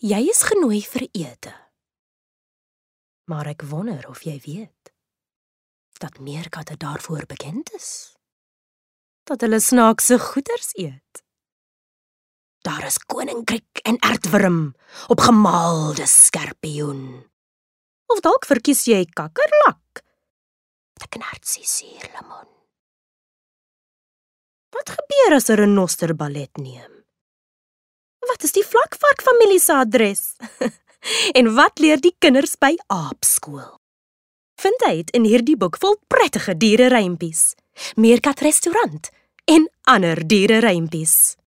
Jy is genooi vir ete. Maar ek wonder of jy weet dat meerkatte daarvoor bekend is. Dat hulle snaakse goeders eet. Daar is koninkryk en aardwurm op gemaalde skorpioen. Of dalk verkies jy kakkerlak. De knartsie suurlemoen. Wat gebeur as 'n renoster ballet neem? Wat is die vlakvarkfamilie se adres? En wat leer die kinders by aapskool? Vind uit in hierdie boek vol prettige diererymppies, meerkat restaurant en ander diererymppies.